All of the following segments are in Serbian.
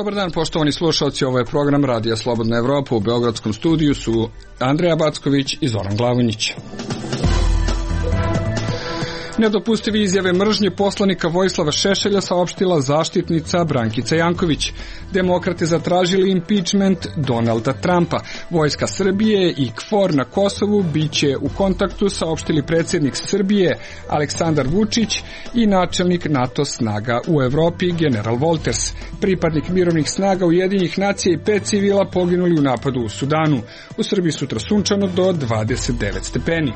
Dobar dan, poštovani slušalci, ovo je program Radija Slobodna Evropa. U beogradskom studiju su Andreja Backović i Zoran Glavonjić. Nedopustive izjave mržnje poslanika Vojislava Šešelja saopštila zaštitnica Brankica Janković. Demokrate zatražili impeachment Donalda Trumpa. Vojska Srbije i KFOR na Kosovu biće u kontaktu, saopštili predsjednik Srbije Aleksandar Vučić i načelnik NATO snaga u Evropi general Wolters. Pripadnik mirovnih snaga Ujedinjenih nacija i 5 civila poginuli u napadu u Sudanu. U Srbiji sutra sunčano do 29 stepeni.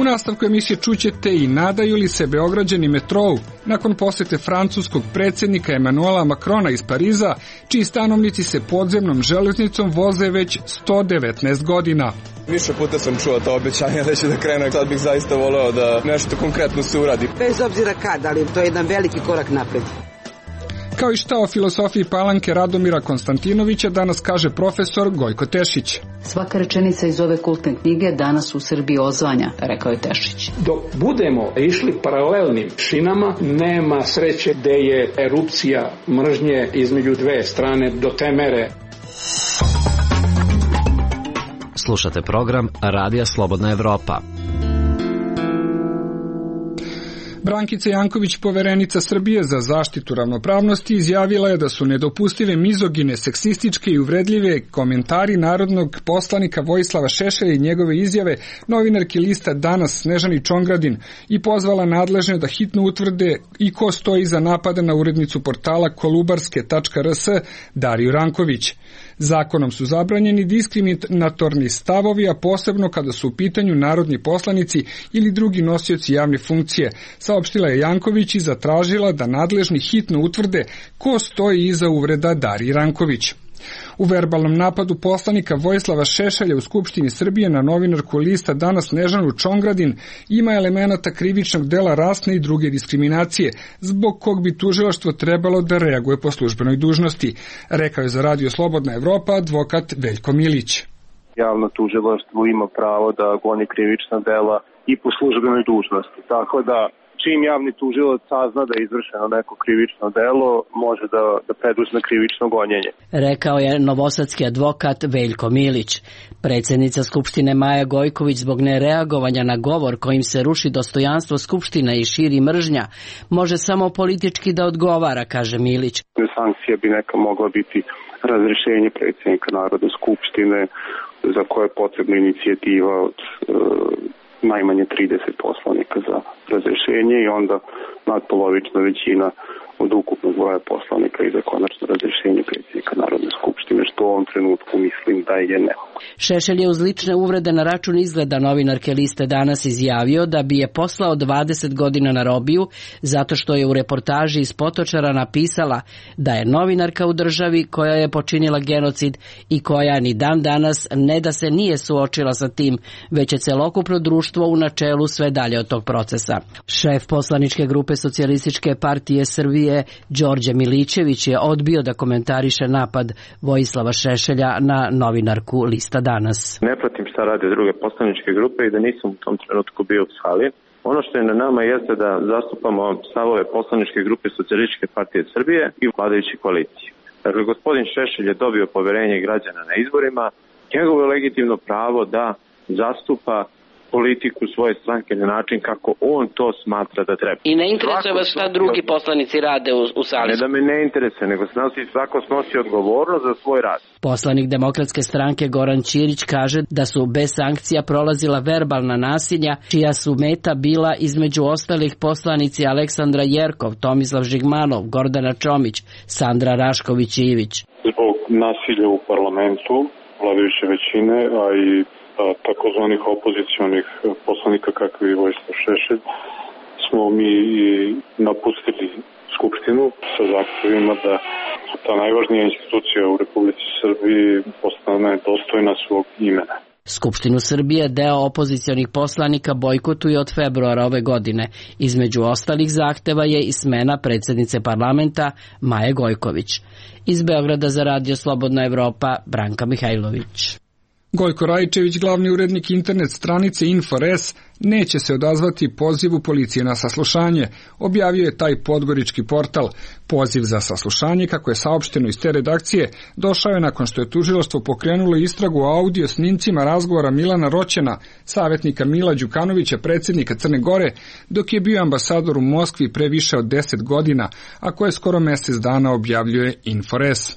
U nastavku emisije čućete i nadaju li se Beograđani metrou nakon posete francuskog predsjednika Emanuela Macrona iz Pariza, čiji stanovnici se podzemnom železnicom voze već 119 godina. Više puta sam čuo to obećanje da će da krene, sad bih zaista voleo da nešto konkretno se uradi. Bez obzira kad, ali to je jedan veliki korak napred. Kao i šta o filosofiji Palanke Radomira Konstantinovića danas kaže profesor Gojko Tešić. Svaka rečenica iz ove kultne knjige danas u Srbiji ozvanja, rekao je Tešić. Dok budemo išli paralelnim šinama, nema sreće da je erupcija mržnje između dve strane do te mere. Slušate program Radija Slobodna Evropa. Brankica Janković, poverenica Srbije za zaštitu ravnopravnosti, izjavila je da su nedopustive mizogine, seksističke i uvredljive komentari narodnog poslanika Vojislava Šešelja i njegove izjave novinarki lista Danas Snežani Čongradin i pozvala nadležne da hitno utvrde i ko stoji iza napada na urednicu portala kolubarske.rs Dariju Ranković. Zakonom su zabranjeni diskriminatorni stavovi, a posebno kada su u pitanju narodni poslanici ili drugi nosioci javne funkcije, saopštila je Janković i zatražila da nadležni hitno utvrde ko stoji iza uvreda Dariji Ranković. U verbalnom napadu poslanika Vojislava Šešelja u Skupštini Srbije na novinarku lista Danas Snežanu Čongradin ima elemenata krivičnog dela rasne i druge diskriminacije, zbog kog bi tužilaštvo trebalo da reaguje po službenoj dužnosti, rekao je za Radio Slobodna Evropa advokat Veljko Milić. Javno tužilaštvo ima pravo da goni krivična dela i po službenoj dužnosti, tako da čim javni tužilac sazna da je izvršeno neko krivično delo, može da preduzme krivično gonjenje. Rekao je novosadski advokat Veljko Milić. Predsjednica Skupštine Maja Gojković zbog nereagovanja na govor kojim se ruši dostojanstvo Skupštine i širi mržnja, može samo politički da odgovara, kaže Milić. Sankcija bi neka mogla biti razrješenje predsjednika Narodne skupštine, za koje je potrebna inicijativa od najmanje 30 poslanika za razrješenje i onda nadpolovična većina od ukupnog broja poslanika i za konačno razrješenje predsjednika Narodne skupštine, što u ovom trenutku mislim da je nemoguće. Šešelj je uz lične uvrede na račun izgleda novinarke liste Danas izjavio da bi je poslao 20 godina na robiju zato što je u reportaži iz Potočara napisala da je novinarka u državi koja je počinila genocid i koja ni dan danas ne da se nije suočila sa tim, već je celokupno društvo u načelu sve dalje od tog procesa. Šef poslaničke grupe Socijalističke partije Srbije Đorđe Milićević je odbio da komentariše napad Vojislava Šešelja na novinarku lista Danas. Ne pratim šta rade druge poslaničke grupe i da nisam u tom trenutku bio u sali. Ono što je na nama jeste da zastupamo stavove poslaničke grupe Socijalističke partije Srbije i vladajuće koalicije. Dakle, gospodin Šešelj je dobio poverenje građana na izborima. Njegovo je legitimno pravo da zastupa politiku svoje stranke na način kako on to smatra da treba. I ne interesuje vas šta drugi poslanici rade u sali? Ne da me ne interesuje, nego svako snosi odgovornost za svoj rad. Poslanik Demokratske stranke Goran Ćirić kaže da su bez sankcija prolazila verbalna nasilja, čija su meta bila između ostalih poslanici Aleksandra Jerkov, Tomislav Žigmanov, Gordana Čomić, Sandra Rašković-Ivić. Zbog nasilja u parlamentu, vladajuće većine, a i takozvanih opozicionih poslanika kakvi je Vojislav Šešelj, smo mi napustili Skupštinu sa zahtjevima da ta najvažnija institucija u Republici Srbiji postane dostojna svog imena. Skupštinu Srbije deo opozicionih poslanika bojkotuje od februara ove godine. Između ostalih zahteva je i smena predsjednice parlamenta Maje Gojković. Iz Beograda za Radio Slobodna Evropa, Branka Mihajlović. Gojko Rajčević, glavni urednik internet stranice Info.rs, neće se odazvati pozivu policije na saslušanje, objavio je taj podgorički portal. Poziv za saslušanje, kako je saopšteno iz te redakcije, došao je nakon što je tužilaštvo pokrenulo istragu o audio snimcima razgovora Milana Roćena, savjetnika Mila Đukanovića, predsjednika Crne Gore, dok je bio ambasador u Moskvi pre više od 10 godina, a koje skoro mjesec dana objavljuje Info.rs.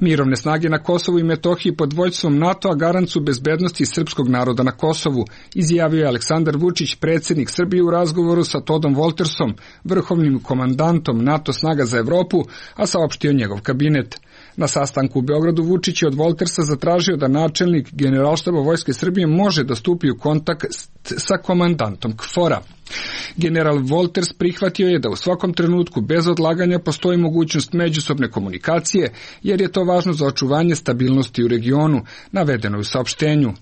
Mirovne snage na Kosovu i Metohiji pod vođstvom NATO-a garant su bezbednosti srpskog naroda na Kosovu, izjavio je Aleksandar Vučić, predsjednik Srbije, u razgovoru sa Todom Woltersom, vrhovnim komandantom NATO snaga za Evropu, a saopštio njegov kabinet. Na sastanku u Beogradu Vučić je od Woltersa zatražio da načelnik Generalštaba Vojske Srbije može da stupi u kontakt sa komandantom KFOR-a. General Wolters prihvatio je da u svakom trenutku bez odlaganja postoji mogućnost međusobne komunikacije, jer je to važno za očuvanje stabilnosti u regionu, navedeno je u saopštenju.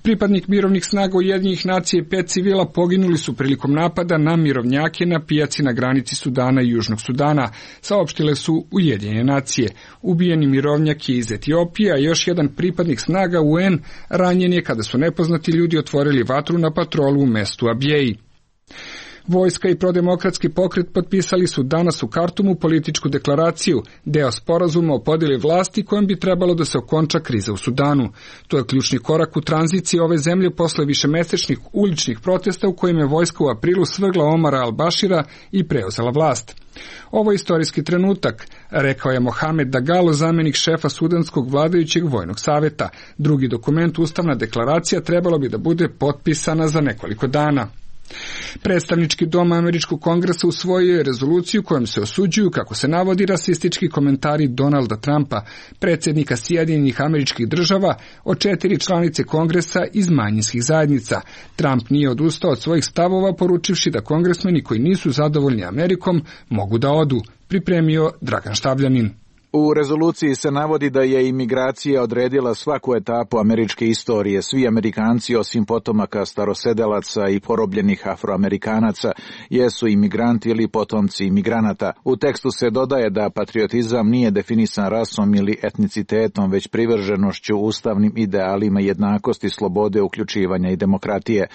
Pripadnik mirovnih snaga Ujedinjenih nacija i 5 civila poginuli su prilikom napada na mirovnjake na pijaci na granici Sudana i Južnog Sudana, saopštile su Ujedinjene nacije. Ubijeni mirovnjak je iz Etiopije, a još jedan pripadnik snaga UN ranjen je kada su nepoznati ljudi otvorili vatru na patrolu u mestu Abjeji. Vojska i prodemokratski pokret potpisali su danas u Kartumu političku deklaraciju, deo sporazuma o podjeli vlasti kojom bi trebalo da se okonča kriza u Sudanu. To je ključni korak u tranziciji ove zemlje posle višemesečnih uličnih protesta u kojima je vojska u aprilu svrgla Omara al-Bashira i preuzela vlast. Ovo je istorijski trenutak, rekao je Mohamed Dagalo, zamjenik šefa sudanskog vladajućeg vojnog saveta. Drugi dokument, ustavna deklaracija, trebalo bi da bude potpisana za nekoliko dana. Predstavnički dom Američkog kongresa usvojio je rezoluciju kojom se osuđuju, kako se navodi, rasistički komentari Donalda Trumpa, predsjednika Sjedinjenih Američkih Država, od 4 članice kongresa iz manjinskih zajednica. Trump nije odustao od svojih stavova, poručivši da kongresmeni koji nisu zadovoljni Amerikom mogu da odu, pripremio Dragan Štavljanin. U rezoluciji se navodi da je imigracija odredila svaku etapu američke istorije. Svi Amerikanci, osim potomaka starosedelaca i porobljenih Afroamerikanaca, jesu imigranti ili potomci imigranata. U tekstu se dodaje da patriotizam nije definisan rasom ili etnicitetom, već privrženošću ustavnim idealima jednakosti, slobode, uključivanja i demokratije.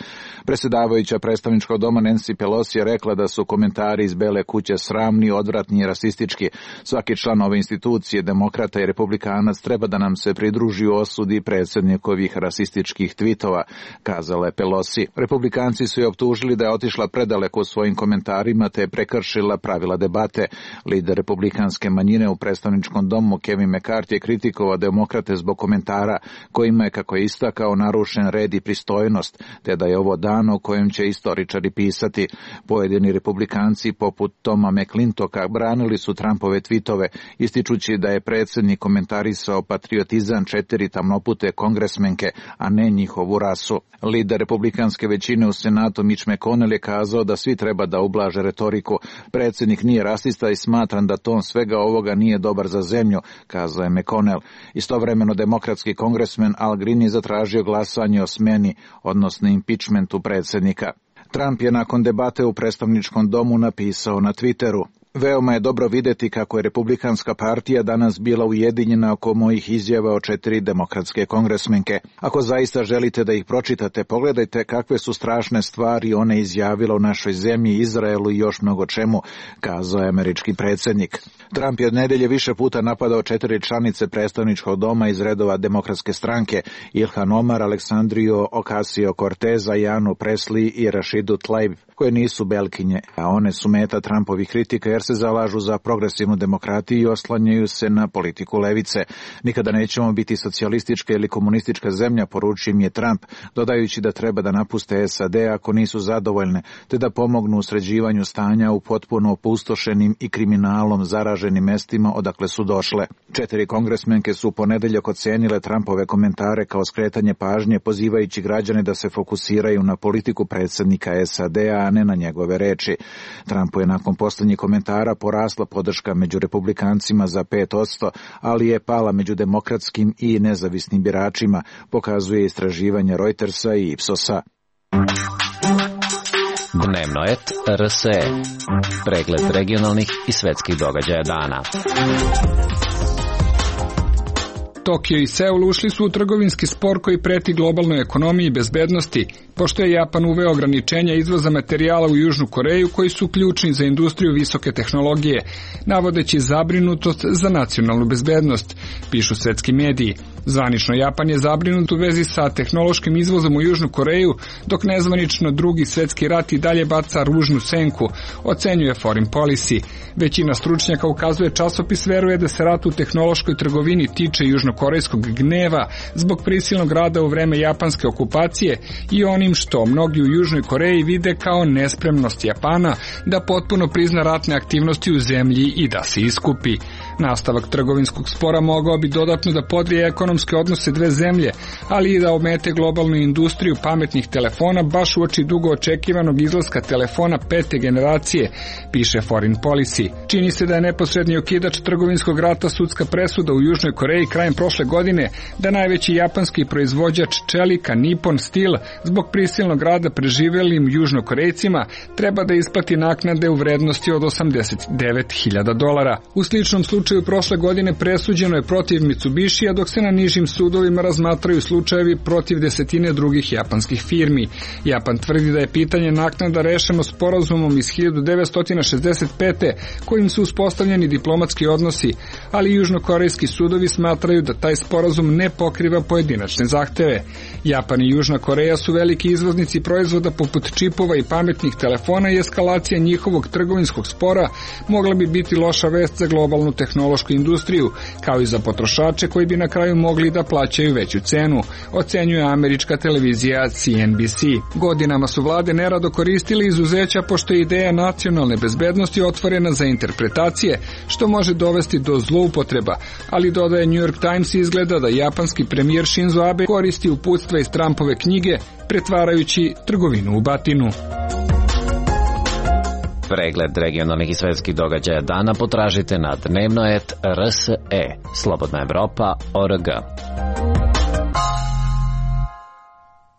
Predsjedavajuća predstavničkog doma Nancy Pelosi je rekla da su komentari iz Bele kuće sramni, odvratni i rasistički. Svaki član ove institucije, demokrata i republikanac, treba da nam se pridruži u osudi predsjednikovih rasističkih tvitova, kazala je Pelosi. Republikanci su je optužili da je otišla predaleko u svojim komentarima te je prekršila pravila debate. Lider republikanske manjine u predstavničkom domu Kevin McCarthy je kritikovao demokrate zbog komentara kojima je, kako je istakao, narušen red i pristojnost, te da je ovo dan o kojem će istoričari pisati. Pojedini republikanci poput Toma McClintoka branili su Trumpove tvitove, ističući da je predsjednik komentarisao patriotizam 4 tamnopute kongresmenke, a ne njihovu rasu. Lider republikanske većine u Senatu Mitch McConnell je kazao da svi treba da ublaže retoriku. Predsjednik nije rasista i smatram da ton svega ovoga nije dobar za zemlju, kazao je McConnell. Istovremeno demokratski kongresmen Al Green je zatražio glasanje o smeni, odnosno impičmentu predsjednika. Trump je nakon debate u predstavničkom domu napisao na Twitteru: veoma je dobro vidjeti kako je Republikanska partija danas bila ujedinjena oko mojih izjava o 4 demokratske kongresmenke. Ako zaista želite da ih pročitate, pogledajte kakve su strašne stvari one izjavile u našoj zemlji, Izraelu i još mnogo čemu, kazao je američki predsjednik. Trump je od nedelje više puta napadao 4 članice predstavničkog doma iz redova demokratske stranke, Ilhan Omar, Aleksandriju Ocasio-Corteza, Janu Presley i Rashidu Tlaib, koje nisu belkinje, a one su meta Trumpovih kritika jer se zalažu za progresivnu demokratiju i oslanjaju se na politiku levice. Nikada nećemo biti socijalistička ili komunistička zemlja, poručio im je Trump, dodajući da treba da napuste SAD ako nisu zadovoljne, te da pomognu u sređivanju stanja u potpuno opustošenim i kriminalom zaraženim mestima odakle su došle. 4 kongresmenke su ponedeljak ocenile Trumpove komentare kao skretanje pažnje, pozivajući građane da se fokusiraju na politiku predsjednika SAD-a, a ne na njegove reči. Trumpu je nakon posljednjih komentara porasla podrška među republikancima za 5%, ali je pala među demokratskim i nezavisnim biračima, pokazuje istraživanje Reutersa i Ipsosa. Dnevno et RSE. Pregled regionalnih i svetskih događaja dana. Tokio i Seul ušli su u trgovinski spor koji preti globalnoj ekonomiji i bezbednosti, pošto je Japan uveo ograničenja izvoza materijala u Južnu Koreju koji su ključni za industriju visoke tehnologije, navodeći zabrinutost za nacionalnu bezbednost, pišu svetski mediji. Zvanično Japan je zabrinut u vezi sa tehnološkim izvozom u Južnu Koreju, dok nezvanično drugi svetski rat i dalje baca ružnu senku, ocenjuje Foreign Policy. Većina stručnjaka, ukazuje časopis, veruje da se rat u tehnološkoj trgovini tiče južnokorejskog gneva zbog prisilnog rada u vreme japanske okupacije i onim što mnogi u Južnoj Koreji vide kao nespremnost Japana da potpuno prizna ratne aktivnosti u zemlji i da se iskupi. Nastavak trgovinskog spora mogao bi dodatno da podrije ekonomske odnose dve zemlje, ali i da omete globalnu industriju pametnih telefona baš uoči dugo očekivanog izlaska telefona 5. generacije, piše Foreign Policy. Čini se da je neposredni okidač trgovinskog rata sudska presuda u Južnoj Koreji krajem prošle godine da najveći japanski proizvođač čelika Nippon Steel zbog prisilnog rada preživelim Južnokorejcima treba da isplati naknade u vrednosti od $89.000. U sličnom slučaju prošle godine presuđeno je protiv Mitsubishija, dok se na nižim sudovima razmatraju slučajevi protiv desetine drugih japanskih firmi. Japan tvrdi da je pitanje naknada rešeno sporazumom iz 1965. kojim su uspostavljeni diplomatski odnosi, ali južnokorejski sudovi smatraju da taj sporazum ne pokriva pojedinačne zahteve. Japan i Južna Koreja su veliki izvoznici proizvoda poput čipova i pametnih telefona i eskalacija njihovog trgovinskog spora mogla bi biti loša vest za globalnu tehnološku industriju, kao i za potrošače koji bi na kraju mogli da plaćaju veću cenu, ocenjuje američka televizija CNBC. Godinama su vlade nerado koristili izuzeća pošto je ideja nacionalne bezbednosti otvorena za interpretacije, što može dovesti do zloupotreba, ali dodaje New York Times, izgleda da japanski premijer Shinzo Abe koristi uputstva iz Trumpove knjige, pretvarajući trgovinu u batinu. Pregled regionalnih i svetskih događaja dana potražite na dnevnoet.rse, Slobodna Evropa.org.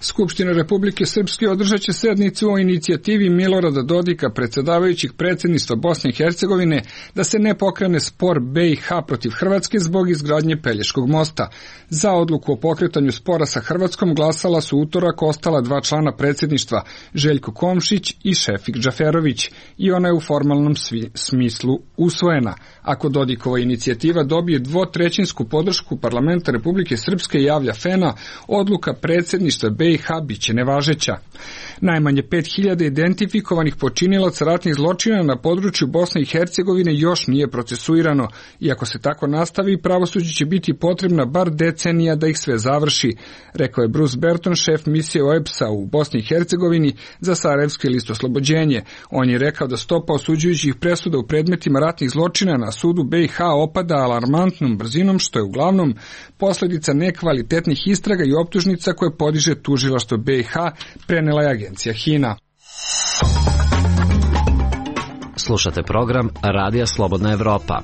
Skupština Republike Srpske održat će sednicu o inicijativi Milorada Dodika, predsedavajućih predsjedništva Bosne i Hercegovine, da se ne pokrene spor BiH protiv Hrvatske zbog izgradnje Pelješkog mosta. Za odluku o pokretanju spora sa Hrvatskom glasala su utorak ostala dva člana predsjedništva, Željko Komšić i Šefik Džaferović, i ona je u formalnom smislu usvojena. Ako Dodikova inicijativa dobije dvotrećinsku podršku parlamenta Republike Srpske, javlja FENA, odluka predsjedništva BiH biće nevažeća. Najmanje 5000 identifikovanih počinilaca ratnih zločina na području Bosne i Hercegovine još nije procesuirano, i ako se tako nastavi, pravosuđu će biti potrebna bar decenija da ih sve završi, rekao je Bruce Berton, šef misije OEBS-a u Bosni i Hercegovini za Sarajevski list Oslobođenje. On je rekao da stopa osuđujućih presuda u predmetima ratnih zločina na sudu BiH opada alarmantnom brzinom, što je uglavnom posljedica nekvalitetnih istraga i optužnica koje podiže tužilaštvo BiH, prenela je agencija HINA. Slušate program Radija Slobodna Evropa.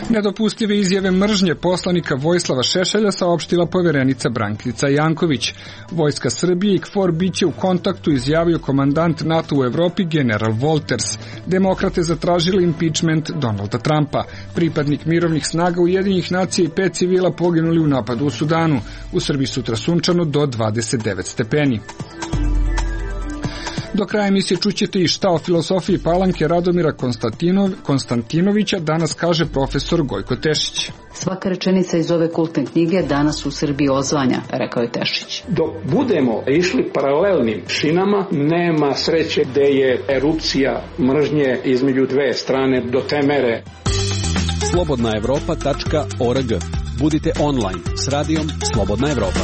Nedopustive izjave mržnje poslanika Vojislava Šešelja saopštila poverenica Brankica Janković. Vojska Srbije i KFOR biće u kontaktu, izjavio komandant NATO u Evropi general Wolters. Demokrate zatražili impeachment Donalda Trumpa. Pripadnik mirovnih snaga Ujedinjenih nacija i 5 civila poginuli u napadu u Sudanu. U Srbiji sutra sunčano do 29 stepeni. Do kraja emisije čućete i šta o filosofiji Palanke Radomira Konstantinovića danas kaže profesor Gojko Tešić. Svaka rečenica iz ove kultne knjige danas u Srbiji ozvanja, rekao je Tešić. Dok budemo išli paralelnim šinama, nema sreće gde je erupcija mržnje između dve strane do te mere. Slobodnaevropa.org. Budite online s radijom Slobodna Evropa.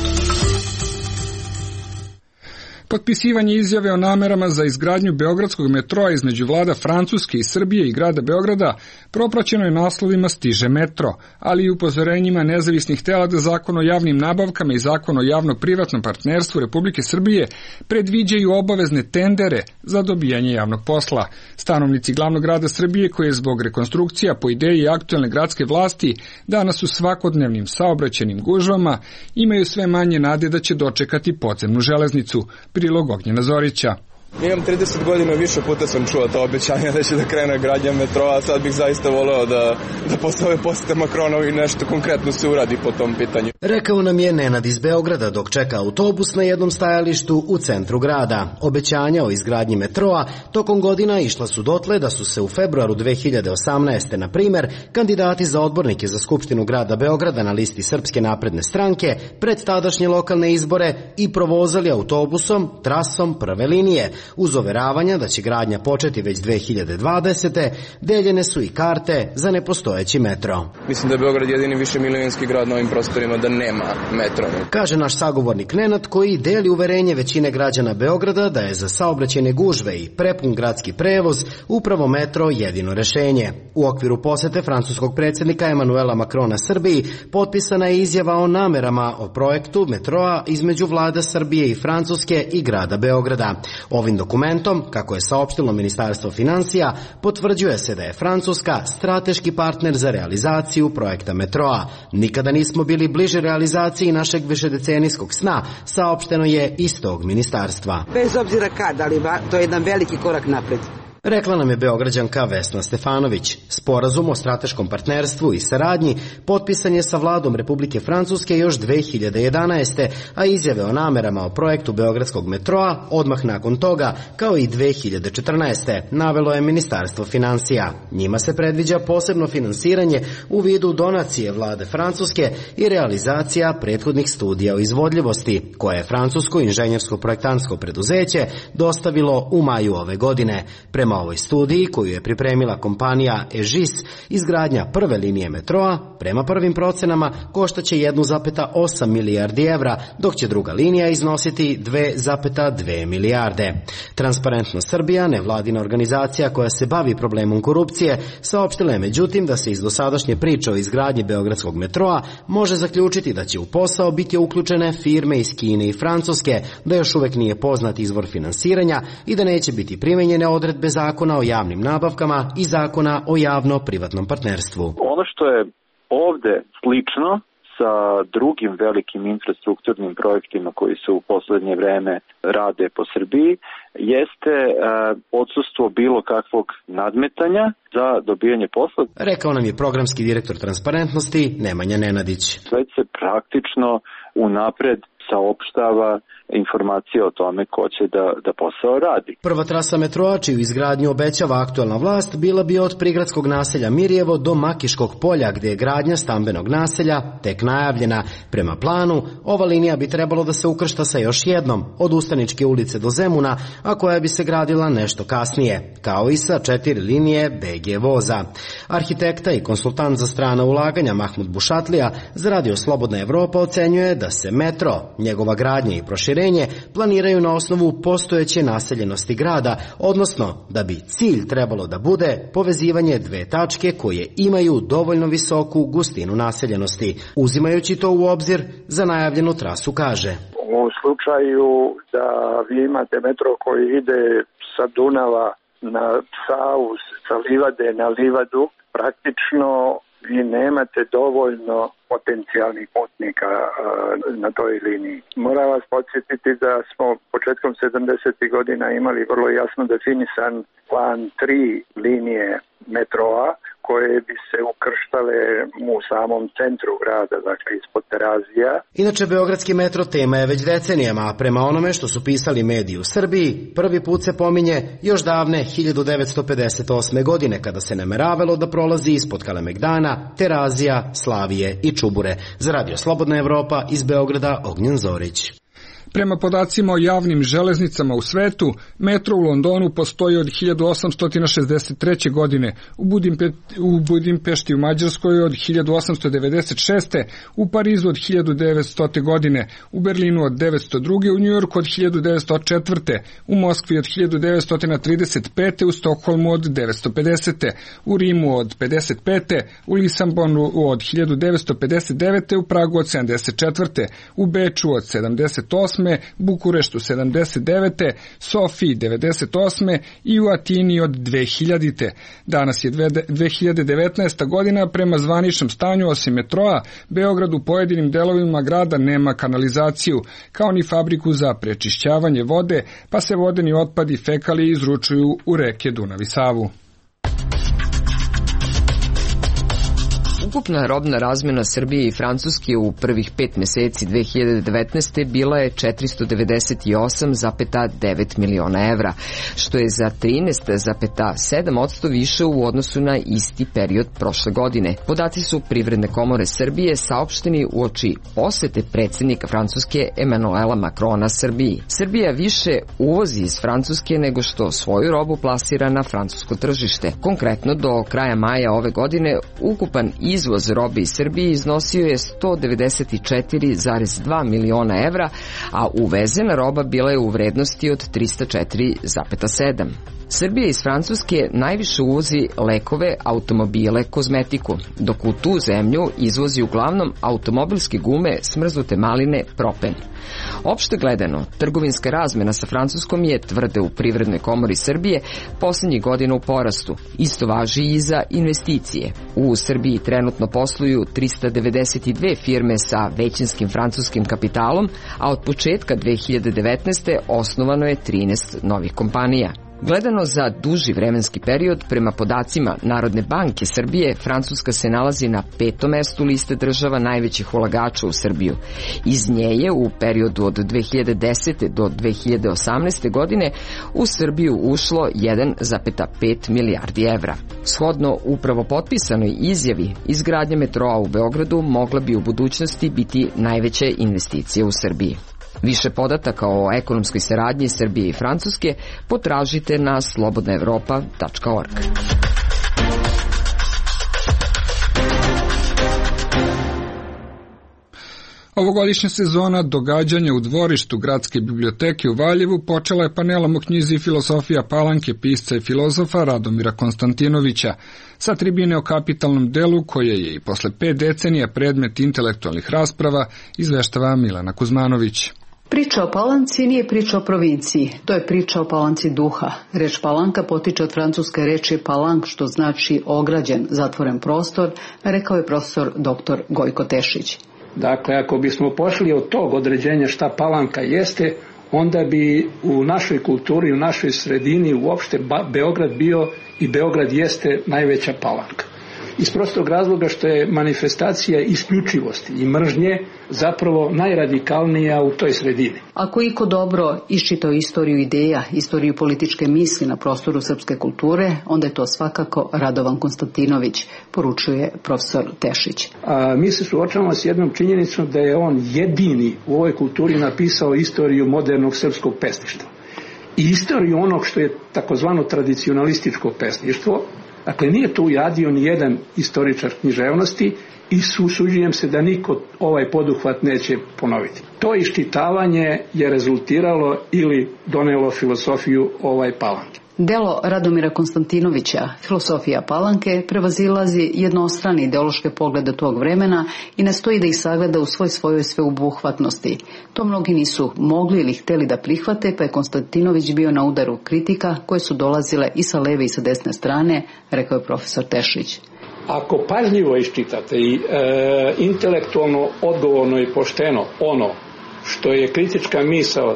Potpisivanje izjave o namerama za izgradnju beogradskog metroa između vlada Francuske i Srbije i grada Beograda propraćeno je naslovima Stiže metro, ali i upozorenjima nezavisnih tela da Zakon o javnim nabavkama i Zakon o javno-privatnom partnerstvu Republike Srbije predviđaju obavezne tendere za dobijanje javnog posla. Stanovnici glavnog grada Srbije, koji je zbog rekonstrukcija po ideji aktuelne gradske vlasti danas u svakodnevnim saobraćajnim gužvama, imaju sve manje nade da će dočekati podzemnu železnicu. Prilog Ognjena Zorića. Imam 30 godina, više puta sam čuo ta obećanja da će da krene gradnja metroa, sad bih zaista voleo da posle ove posete Makronovi nešto konkretno se uradi po tom pitanju. Rekao nam je Nenad iz Beograda dok čeka autobus na jednom stajalištu u centru grada. Obećanja o izgradnji metroa tokom godina išla su dotle da su se u februaru 2018. na primer kandidati za odbornike za Skupštinu grada Beograda na listi Srpske napredne stranke pred tadašnje lokalne izbore i provozali autobusom trasom prve linije. Uz overavanja da će gradnja početi već 2020. deljene su i karte za nepostojeći metro. Mislim da je Beograd jedini višemilionski grad na ovim prostorima da nema metro. Kaže naš sagovornik Nenad, koji deli uverenje većine građana Beograda da je za saobraćajne gužve i prepun gradski prevoz upravo metro jedino rešenje. U okviru posete francuskog predsjednika Emanuela Makrona Srbiji potpisana je izjava o namerama o projektu metroa između vlada Srbije i Francuske i grada Beograda. Ovim dokumentom, kako je saopštilo Ministarstvo finansija, potvrđuje se da je Francuska strateški partner za realizaciju projekta metroa. Nikada nismo bili bliže realizaciji našeg višedecenijskog sna, saopšteno je iz tog ministarstva. Bez obzira kad, ali to je jedan veliki korak napred. Rekla nam je Beograđanka Vesna Stefanović. Sporazum o strateškom partnerstvu i saradnji potpisan je sa vladom Republike Francuske još 2011. a izjave o namerama o projektu Beogradskog metroa odmah nakon toga, kao i 2014. navelo je Ministarstvo finansija. Njima se predviđa posebno finansiranje u vidu donacije vlade Francuske i realizacija prethodnih studija o izvodljivosti, koje je francusko inženjersko-projektantsko preduzeće dostavilo u maju ove godine. Prema ovoj studiji, koju je pripremila kompanija EGIS, izgradnja prve linije metroa, prema prvim procenama, koštaće 1,8 milijardi evra, dok će druga linija iznositi 2,2 milijarde. Transparentno Srbija, nevladina organizacija koja se bavi problemom korupcije, saopštila je međutim da se iz dosadašnje priče o izgradnji Beogradskog metroa može zaključiti da će u posao biti uključene firme iz Kine i Francuske, da još uvek nije poznat izvor finansiranja i da neće biti primenjene odredbe Zakona o javnim nabavkama i Zakona o javno-privatnom partnerstvu. Ono što je ovde slično sa drugim velikim infrastrukturnim projektima koji se u poslednje vreme rade po Srbiji jeste odsustvo bilo kakvog nadmetanja za dobijanje posla. Rekao nam je programski direktor transparentnosti Nemanja Nenadić. Sve se praktično unapred saopštava informacije o tome ko će da posao radi. Prva trasa metroa, čiju izgradnju obećava aktuelna vlast, bila bi od prigradskog naselja Mirjevo do Makiškog polja, gde je gradnja stambenog naselja tek najavljena. Prema planu, ova linija bi trebalo da se ukršta sa još jednom, od Ustaničke ulice do Zemuna, a koja bi se gradila nešto kasnije, kao i sa 4 linije BG voza. Arhitekta i konsultant za strana ulaganja Mahmud Bušatlija za Radio Slobodna Evropa ocenjuje da se metro, njegova gradnja i proširenje planiraju na osnovu postojeće naseljenosti grada, odnosno da bi cilj trebalo da bude povezivanje dve tačke koje imaju dovoljno visoku gustinu naseljenosti. Uzimajući to u obzir, za najavljenu trasu kaže: U slučaju da vi imate metro koji ide sa Dunava na Savu, sa Livade na Livadu, praktično vi nemate dovoljno potencijalnih putnika na toj liniji. Moram vas podsjetiti da smo početkom 70. godina imali vrlo jasno definisan plan 3 linije metroa koje bi se ukrštale u samom centru grada, dakle ispod Terazija. Inače, beogradski metro tema je već decenijama, a prema onome što su pisali mediji u Srbiji, prvi put se pominje još davne 1958. godine, kada se nameravalo da prolazi ispod Kalemegdana, Terazija, Slavije i Čubure. Za Radio Slobodna Evropa iz Beograda, Ognjen Zorić. Prema podacima o javnim železnicama u svetu, metro u Londonu postoji od 1863. godine, u Budimpešti u Mađarskoj od 1896. u Parizu od 1900. godine, u Berlinu od 1902. u Njujorku od 1904. u Moskvi od 1935. u Stokholmu od 1950. u Rimu od 1955. u Lisabonu od 1959. u Pragu od 1974. u Beču od 1978. 78. Bukureštu 79. Sofiji 98. i u Atini od 2000. Danas je 2019. godina, prema zvaničnom stanju osim metroa, Beograd u pojedinim delovima grada nema kanalizaciju, kao ni fabriku za prečišćavanje vode, pa se vodeni otpad i fekalije izručuju u reke Dunav i Savu. Ukupna robna razmena Srbije i Francuske u prvih 5 meseci 2019. bila je 498,9 miliona evra, što je za 13,7% više u odnosu na isti period prošle godine. Podaci su Privredne komore Srbije saopšteni uoči posete predsjednika Francuske Emanuela Macrona Srbiji. Srbija više uvozi iz Francuske nego što svoju robu plasira na francusko tržište. Konkretno, do kraja maja ove godine ukupan izvoz robe iz Srbije iznosio je 194,2 miliona evra, a uvezena roba bila je u vrednosti od 304,7. Srbija iz Francuske najviše uvozi lekove, automobile, kozmetiku, dok u tu zemlju izvozi uglavnom automobilske gume, smrznute maline, propen. Opšte gledano, trgovinska razmena sa Francuskom je, tvrde u Privrednoj komori Srbije, poslednjih godina u porastu. Isto važi i za investicije. U Srbiji trenutno posluju 392 firme sa većinskim francuskim kapitalom, a od početka 2019. osnovano je 13 novih kompanija. Gledano za duži vremenski period, prema podacima Narodne banke Srbije, Francuska se nalazi na 5. mestu liste država najvećih ulagača u Srbiju. Iz nje je u periodu od 2010. do 2018. godine u Srbiju ušlo 1,5 milijardi evra. Shodno upravo potpisanoj izjavi, izgradnja metroa u Beogradu mogla bi u budućnosti biti najveće investicije u Srbiji. Više podataka o ekonomskoj saradnji Srbije i Francuske potražite na slobodnaevropa.org. Ovogodišnja sezona događanja u dvorištu Gradske biblioteke u Valjevu počela je panelom o knjizi Filosofija Palanke pisca i filozofa Radomira Konstantinovića. Sa tribine o kapitalnom delu, koje je i posle 5 decenija predmet intelektualnih rasprava, izveštava Milena Kuzmanović. Priča o Palanci nije priča o provinciji, to je priča o palanci duha. Reč palanka potiče od francuske reči palank, što znači ograđen, zatvoren prostor, rekao je profesor dr. Gojko Tešić. Dakle, ako bismo pošli od tog određenja šta palanka jeste, onda bi u našoj kulturi, u našoj sredini uopšte Beograd bio i Beograd jeste najveća palanka. Iz prostog razloga što je manifestacija isključivosti i mržnje zapravo najradikalnija u toj sredini. Ako iko dobro iščitao istoriju ideja, istoriju političke misli na prostoru srpske kulture, onda je to svakako Radovan Konstantinović, poručuje profesor Tešić. Mi se suočavamo s jednom činjenicom da je on jedini u ovoj kulturi napisao istoriju modernog srpskog pesništva. I istoriju onog što je takozvano tradicionalističko pesništvo. Dakle, nije tu ujadio ni jedan istoričar književnosti i usuđujem se da niko ovaj poduhvat neće ponoviti. To iščitavanje je rezultiralo ili donelo filosofiju Palanke. Delo Radomira Konstantinovića, Filosofija Palanke, prevazilazi jednostrane ideološke poglede tog vremena i nastoji da ih sagleda u svojoj sveobuhvatnosti. To mnogi nisu mogli ili hteli da prihvate, pa je Konstantinović bio na udaru kritika koje su dolazile i sa leve i sa desne strane, rekao je profesor Tešić. Ako pažljivo iščitate i intelektualno, odgovorno i pošteno ono što je kritička misao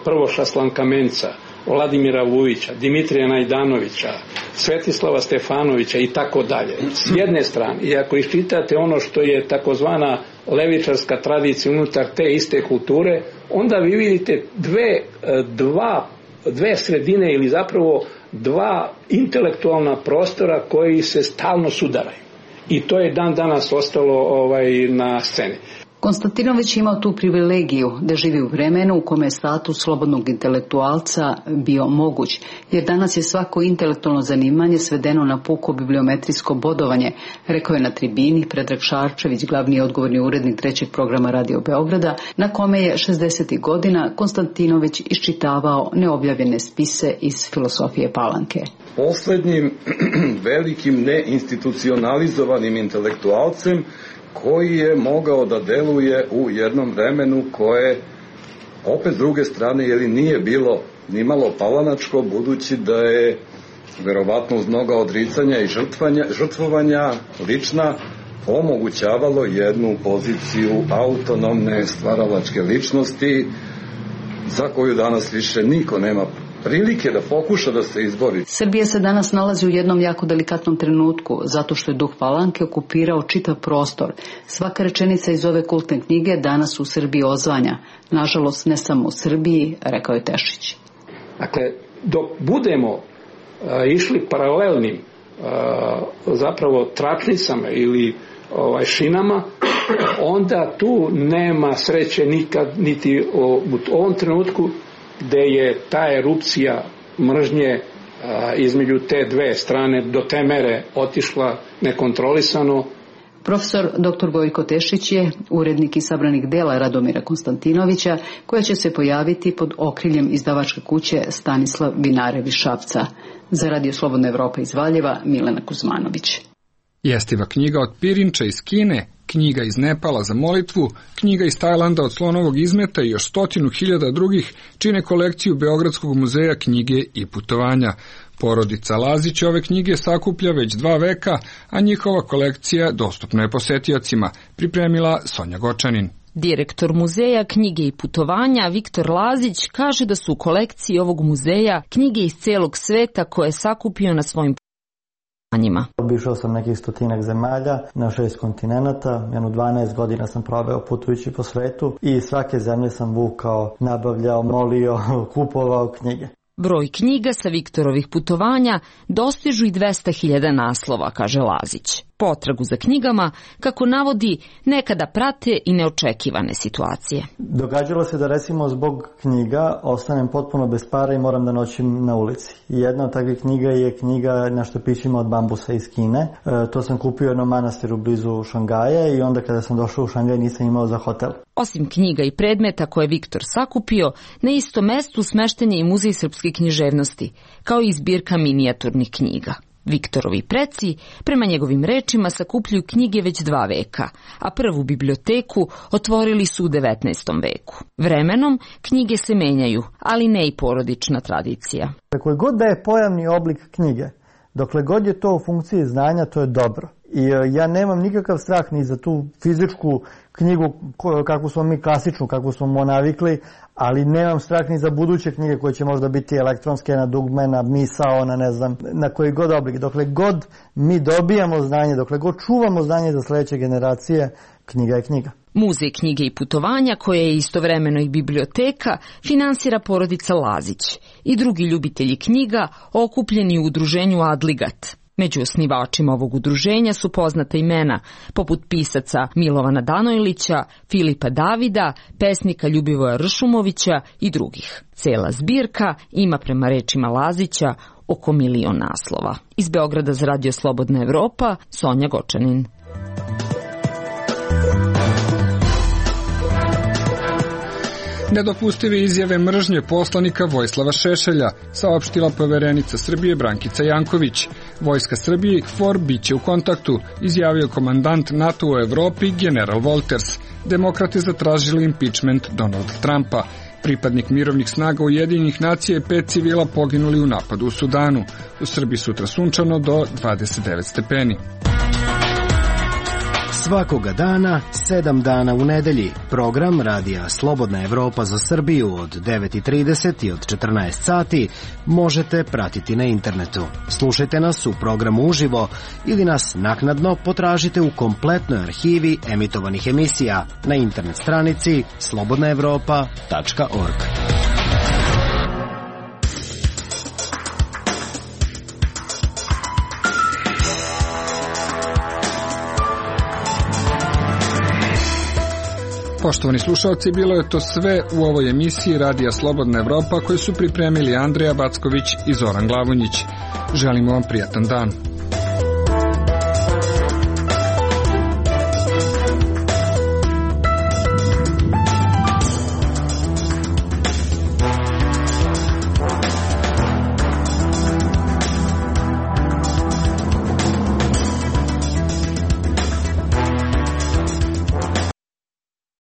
Prvoša Slankamenca, Vladimira Vujića, Dimitrija Najdanovića, Svetislava Stefanovića i tako dalje. S jedne strane, i ako iščitate ono što je takozvana levičarska tradicija unutar te iste kulture, onda vi vidite dve sredine ili zapravo dva intelektualna prostora koji se stalno sudaraju. I to je dan danas ostalo na sceni. Konstantinović imao tu privilegiju da živi u vremenu u kome je status slobodnog intelektualca bio moguć, jer danas je svako intelektualno zanimanje svedeno na puko bibliometrijsko bodovanje, rekao je na tribini Predrag Šarčević, glavni odgovorni urednik 3. programa Radio Beograda, na kome je 60. godina Konstantinović iščitavao neobjavljene spise iz Filosofije Palanke. Poslednjim velikim neinstitucionalizovanim intelektualcem koji je mogao da deluje u jednom vremenu koje opet s druge strane nije bilo ni malo palanačko, budući da je verovatno uz mnoga odricanja i žrtvovanja lična omogućavalo jednu poziciju autonomne stvaralačke ličnosti za koju danas više niko nema prilike da pokuša da se izbori. Srbija se danas nalazi u jednom jako delikatnom trenutku, zato što je duh Palanke okupirao čitav prostor. Svaka rečenica iz ove kultne knjige danas u Srbiji ozvanja. Nažalost, ne samo u Srbiji, rekao je Tešić. Dakle, dok budemo išli paralelnim zapravo tračnicama ili šinama, onda tu nema sreće nikad, niti u ovom trenutku gde je ta erupcija mržnje između te dve strane do te mere otišla nekontrolisano. Profesor dr. Gojko Tešić je urednik izabranih dela Radomira Konstantinovića, koja će se pojaviti pod okriljem izdavačke kuće Stanislav Vinarev iz Šapca. Za Radio Slobodna Evropa iz Valjeva, Milena Kuzmanović. Jestiva knjiga od pirinča iz Kine, knjiga iz Nepala za molitvu, knjiga iz Tajlanda od slonovog izmeta i još 100.000 drugih čine kolekciju Beogradskog muzeja knjige i putovanja. Porodica Lazić ove knjige sakuplja već 2 veka, a njihova kolekcija dostupna je posetiocima, pripremila Sonja Gočanin. Direktor muzeja knjige i putovanja Viktor Lazić kaže da su u kolekciji ovog muzeja knjige iz celog sveta koje je sakupio na svojim putovanjima. Obišao sam nekih 100 zemalja na 6 kontinenata, 12 godina sam proveo putujući po svetu i svake zemlje sam vukao, nabavljao, molio, kupovao knjige. Broj knjiga sa Viktorovih putovanja dostižu i 200.000 naslova, kaže Lazić. Potragu za knjigama, kako navodi, nekada prate i neočekivane situacije. Događalo se da recimo zbog knjiga ostanem potpuno bez para i moram da noćim na ulici. I jedna od takvih knjiga je knjiga na štapićima od bambusa iz Kine. To sam kupio u jednom manastiru blizu Šangaja i onda kada sam došao u Šangaj nisam imao za hotel. Osim knjiga i predmeta koje je Viktor sakupio, na istom mestu smešten je i Muzej srpske književnosti, kao i zbirka minijaturnih knjiga. Viktorovi preci, prema njegovim rečima, sakupljuju knjige već 2 veka, a prvu biblioteku otvorili su u 19. veku. Vremenom knjige se menjaju, ali ne i porodična tradicija. Koji god da je pojavni oblik knjige, dokle god je to u funkciji znanja, to je dobro. I ja nemam nikakav strah ni za tu fizičku knjigu kakvu smo mi klasičnu, kakvu smo navikli, ali nemam strah ni za buduće knjige koje će možda biti elektronske, na dugme, na misao, na ne znam, na koji god oblik. Dokle god mi dobijamo znanje, dokle god čuvamo znanje za sledeće generacije, knjiga je knjiga. Muzej knjige i putovanja, koja je istovremeno i biblioteka, finansira porodica Lazić i drugi ljubitelji knjiga okupljeni u udruženju Adligat. Među osnivačima ovog udruženja su poznata imena, poput pisaca Milovana Danojlića, Filipa Davida, pesnika Ljubivoja Ršumovića i drugih. Cela zbirka ima, prema rečima Lazića, oko 1.000.000 naslova. Iz Beograda za Radio Slobodna Evropa, Sonja Gočanin. Nedopustive izjave mržnje poslanika Vojislava Šešelja, saopštila poverenica Srbije Brankica Janković. Vojska Srbije i KFOR biće u kontaktu, izjavio komandant NATO u Evropi general Wolters. Demokrate zatražili impeachment Donalda Trumpa. Pripadnik mirovnih snaga Ujedinjenih nacija i 5 civila poginuli u napadu u Sudanu. U Srbiji sutra sunčano do 29 stepeni. Svakoga dana, 7 dana u nedelji. Program Radija Slobodna Evropa za Srbiju od 9:30 i od 14 sati možete pratiti na internetu. Slušajte nas u programu uživo ili nas naknadno potražite u kompletnoj arhivi emitovanih emisija na internet stranici slobodnaevropa.org. Poštovani slušalci, bilo je to sve u ovoj emisiji Radija Slobodna Evropa koju su pripremili Andreja Backović i Zoran Glavonjić. Želimo vam prijatan dan.